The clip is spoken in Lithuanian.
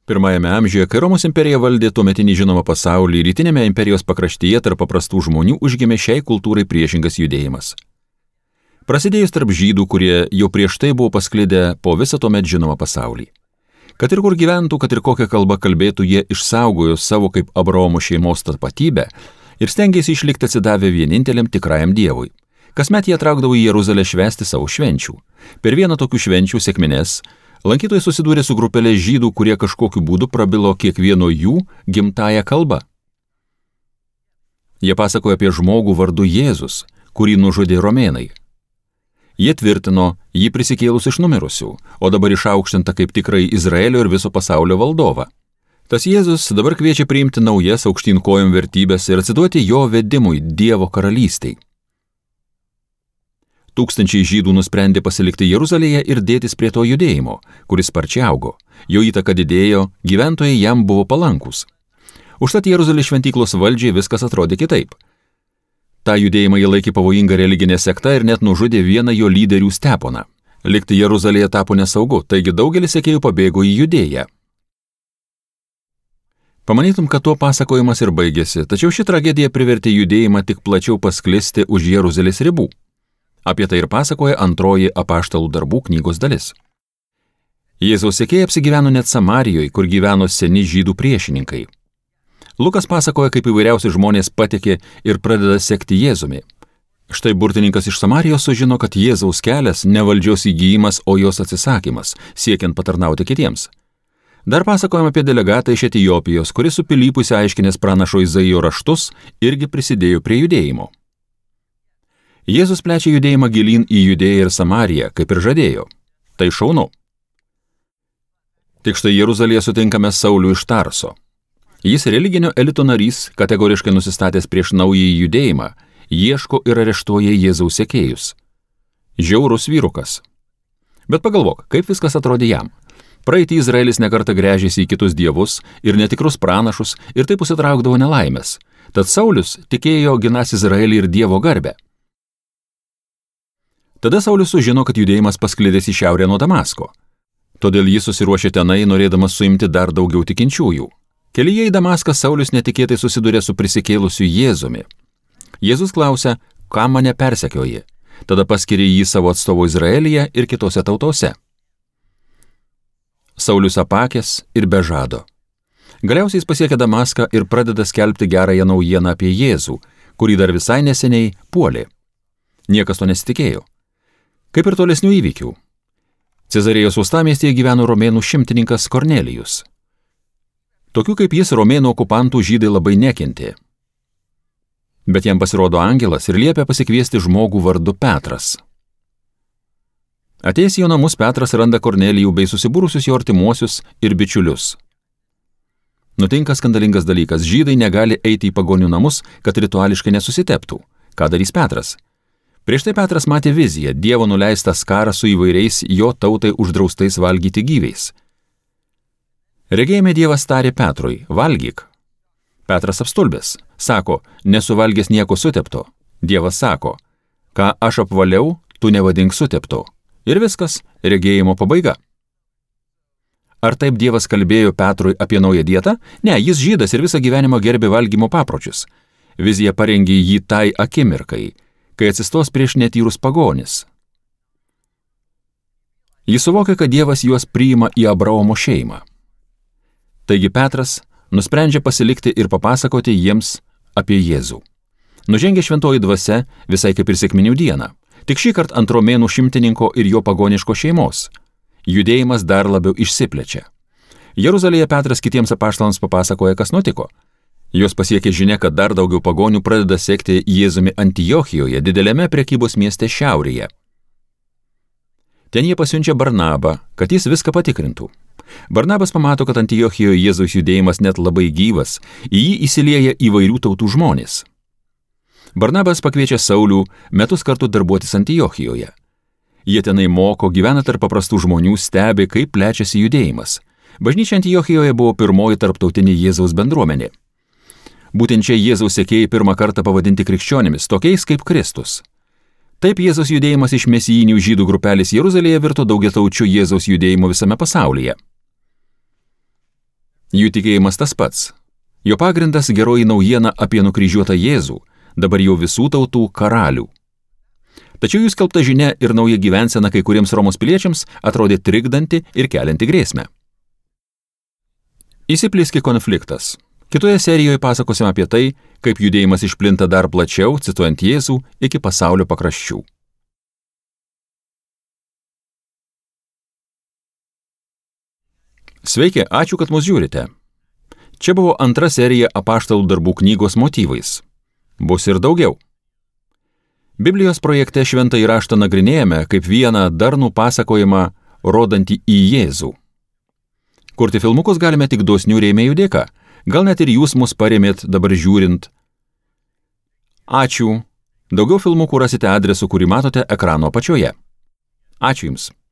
Pirmajame amžiuje, kai Romos imperija valdė tuometinį žinomą pasaulį, rytinėme imperijos pakraštyje tarp paprastų žmonių užgimė šiai kultūrai priešingas judėjimas. Prasidėjus tarp žydų, kurie jau prieš tai buvo pasklidę po visą tuomet žinomą pasaulį. Kad ir kur gyventų, kad ir kokią kalbą kalbėtų, jie išsaugojo savo kaip Abraomo šeimos tapatybę ir stengėsi išlikti atsidavę vieninteliam tikrajam Dievui. Kasmet jie traukdavo į Jeruzalę švęsti savo švenčių. Per vieną tokių švenčių sekmines lankytojai susidūrė su grupelė žydų, kurie kažkokiu būdu prabilo kiekvieno jų gimtąją kalbą. Jie pasakojo apie žmogų vardu Jėzus, kurį nužudė romėnai. Jie tvirtino jį prisikėlus iš numirusių, o dabar išaukštinta kaip tikrai Izraelio ir viso pasaulio valdovą. Tas Jėzus dabar kviečia priimti naujas aukštyn kojom vertybės ir atsiduoti jo vedimui Dievo karalystei. Tūkstančiai žydų nusprendė pasilikti Jeruzalėje ir dėtis prie to judėjimo, kuris sparčiai augo. Jo įtaka didėjo, gyventojai jam buvo palankūs. Užtat Jeruzalės šventyklos valdžiai viskas atrodė kitaip. Ta judėjimą jie laikė pavojinga religinė sekta ir net nužudė vieną jo lyderių Steponą. Likti Jeruzalėje tapo nesaugu, taigi daugelis sekėjų pabėgo į Judėją. Pamanytum, kad tuo pasakojimas ir baigėsi, tačiau ši tragedija privertė judėjimą tik plačiau pasklisti už Jeruzalės ribų. Apie tai ir pasakoja antroji Apaštalų darbų knygos dalis. Jėzaus sekėjai apsigyveno net Samarijoje, kur gyveno seni žydų priešininkai. Lukas pasakoja, kaip įvairiausi žmonės patekė ir pradeda sekti Jėzumi. Štai burtininkas iš Samarijos sužino, kad Jėzaus kelias ne valdžios įgyjimas, o jos atsisakymas, siekiant patarnauti kitiems. Dar pasakojama apie delegatą iš Etiopijos, kuris su Pilypu aiškinęs pranašo Izaijo raštus irgi prisidėjo prie judėjimo. Jėzus plečia judėjimą gilyn į Judėją ir Samariją, kaip ir žadėjo. Tai šaunu. Tik štai Jeruzalėje sutinkame Saulių iš Tarso. Jis religinio elito narys, kategoriškai nusistatęs prieš naująjį judėjimą, ieško ir areštuoja Jėzaus sekėjus. Žiaurus vyrukas. Bet pagalvok, kaip viskas atrodė jam. Praeitį Izraelis nekartą gręžėsi į kitus dievus ir netikrus pranašus ir taip užsitraukdavo nelaimės. Tad Saulius tikėjo ginas Izraelį ir Dievo garbę. Tada Saulius sužino, kad judėjimas pasklidęs į šiaurę nuo Damasko. Todėl jis susiruošė tenai, norėdamas suimti dar daugiau tikinčiųjų. Kelyje į Damaską Saulius netikėtai susidūrė su prisikėlusiu Jėzumi. Jėzus klausia, kam mane persekioji? Tada paskiria jį savo atstovu Izraelyje ir kitose tautose. Saulius apakęs ir be žado. Galiausiai jis pasiekia Damaską ir pradeda skelbti gerąją naujieną apie Jėzų, kurį dar visai neseniai puolė. Niekas to nesitikėjo. Kaip ir tolesnių įvykių. Cezarėjos uostamiestyje gyveno romėnų šimtininkas Kornelijus. Tokių kaip jis romėnų okupantų žydai labai nekentė. Bet jam pasirodo angelas ir liepia pasikviesti žmogų vardu Petras. Atėjęs į jo namus, Petras randa Kornelijų bei susibūrusius jo artimuosius ir bičiulius. Nutinka skandalingas dalykas. Žydai negali eiti į pagonių namus, kad rituališkai nesusiteptų. Ką darys Petras? Prieš tai Petras matė viziją, Dievo nuleistą skarą su įvairiais jo tautai uždraustais valgyti gyviais. Regėjime Dievas tarė Petrui, valgyk. Petras apstulbęs, sako, nesuvalgęs nieko sutepto. Dievas sako, ką aš apvaliau, tu nevadink sutepto. Ir viskas, regėjimo pabaiga. Ar taip Dievas kalbėjo Petrui apie naują dietą? Ne, jis žydas ir visą gyvenimą gerbė valgymo papročius. Vizija parengė jį tai akimirkai, kai atsistos prieš netyrus pagonis. Jis suvokia, kad Dievas juos priima į Abraomo šeimą. Taigi Petras nusprendžia pasilikti ir papasakoti jiems apie Jėzų. Nužengė šventoji dvasia visai kaip ir sekminių dieną, tik šį kartą ant romėnų šimtininko ir jo pagoniško šeimos. Judėjimas dar labiau išsiplečia. Jeruzalėje Petras kitiems apaštalams papasakoja, kas nutiko. Jos pasiekė žinia, kad dar daugiau pagonių pradeda sekti Jėzumi Antiochijoje, dideliame prekybos mieste šiaurėje. Ten jie pasiunčia Barnabą, kad jis viską patikrintų. Barnabas pamato, kad Antiochijoje Jėzaus judėjimas net labai gyvas, į jį įsilieja įvairių tautų žmonės. Barnabas pakviečia Saulių metus kartu darbuotis Antiochijoje. Jie tenai moko, gyvena tarp paprastų žmonių, stebi, kaip plečiasi judėjimas. Bažnyčia Antiochijoje buvo pirmoji tarptautinė Jėzaus bendruomenė. Būtent čia Jėzaus sekėjai pirmą kartą pavadinti krikščionimis, tokiais kaip Kristus. Taip Jėzaus judėjimas iš mesijinių žydų grupelės Jeruzalėje virto daugiataučiu Jėzaus judėjimu visame pasaulyje. Jų tikėjimas tas pats. Jo pagrindas geroji naujiena apie nukryžiuotą Jėzų, dabar jau visų tautų karalių. Tačiau jų skelbta žinia ir nauja gyvensena kai kuriems Romos piliečiams atrodė trikdanti ir kelianti grėsmę. Įsiplieskė konfliktas. Kitoje serijoje pasakosime apie tai, kaip judėjimas išplinta dar plačiau, cituojant Jėzų, iki pasaulio pakraščių. Sveiki, ačiū, kad mus žiūrite. Čia buvo antra serija Apaštalų darbų knygos motyvais. Bus ir daugiau. Biblijos projekte Šventąjį raštą nagrinėjame kaip vieną darnų pasakojimą, rodantį į Jėzų. Kurti filmukus galime tik dosnių rėmėjų dėka. Gal net ir jūs mus parėmėt dabar žiūrint. Ačiū. Daugiau filmukų rasite adresu, kurį matote ekrano apačioje. Ačiū Jums.